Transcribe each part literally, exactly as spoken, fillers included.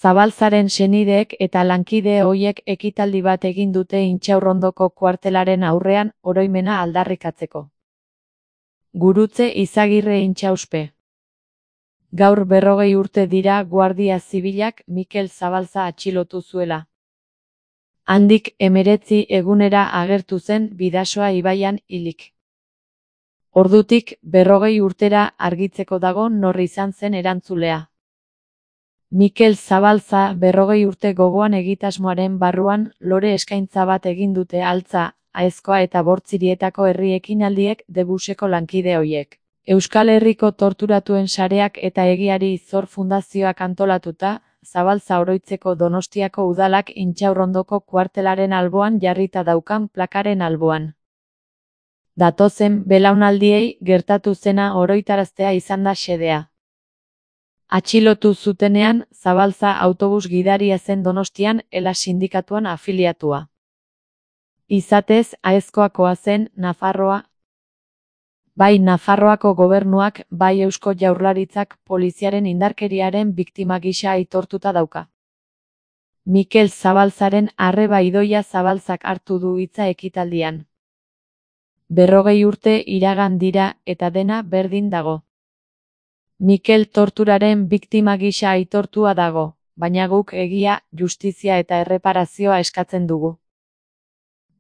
Zabalzaren senideek eta lankide hoiek ekitaldi bat egin dute Intxaurrondoko kuartelaren aurrean oroimena aldarrikatzeko. Gurutze Izagirre Intxauspe. Gaur berrogei urte dira Guardia Zibilak Mikel Zabalza atxilotu zuela. Handik hemeretzi egunera agertu zen Bidasoa ibaian hilik. Ordutik berrogei urtera argitzeko dago nor izan zen erantzulea. Mikel Zabalza berrogei urte gogoan egitasmoaren barruan lore eskaintza bat egin dute Altza, Aezkoa eta Bortzirietako herri ekinaldiek Debuseko lankide hoiek. Euskal Herriko torturatuen sareak eta Egiari Zor Fundazioak antolatuta, Zabalza oroitzeko Donostiako udalak Intxaurrondoko kuartelaren alboan jarrita daukan plakaren alboan. Datozen belaunaldiei gertatu zena oroitaraztea izan da xedea. Atxilotu zutenean, Zabalza autobus gidaria zen Donostian Ela sindikatuan afiliatua. Izatez, Aezkoakoa zen, Nafarroa. Bai Nafarroako gobernuak, bai Eusko Jaurlaritzak poliziaren indarkeriaren biktima gisa aitortuta dauka. Mikel Zabalzaren arreba idoia Zabalzak hartu du hitza ekitaldian. Berrogei urte iragan dira eta dena berdin dago. Mikel torturaren biktima gisa aitortua dago, baina guk egia, justizia eta erreparazioa eskatzen dugu.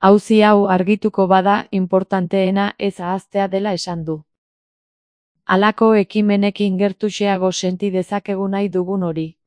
Auzi hau argituko bada inportanteena ez ahaztea dela esan du. Halako ekimenekin gertuxeago senti dezakegu nahi dugun hori.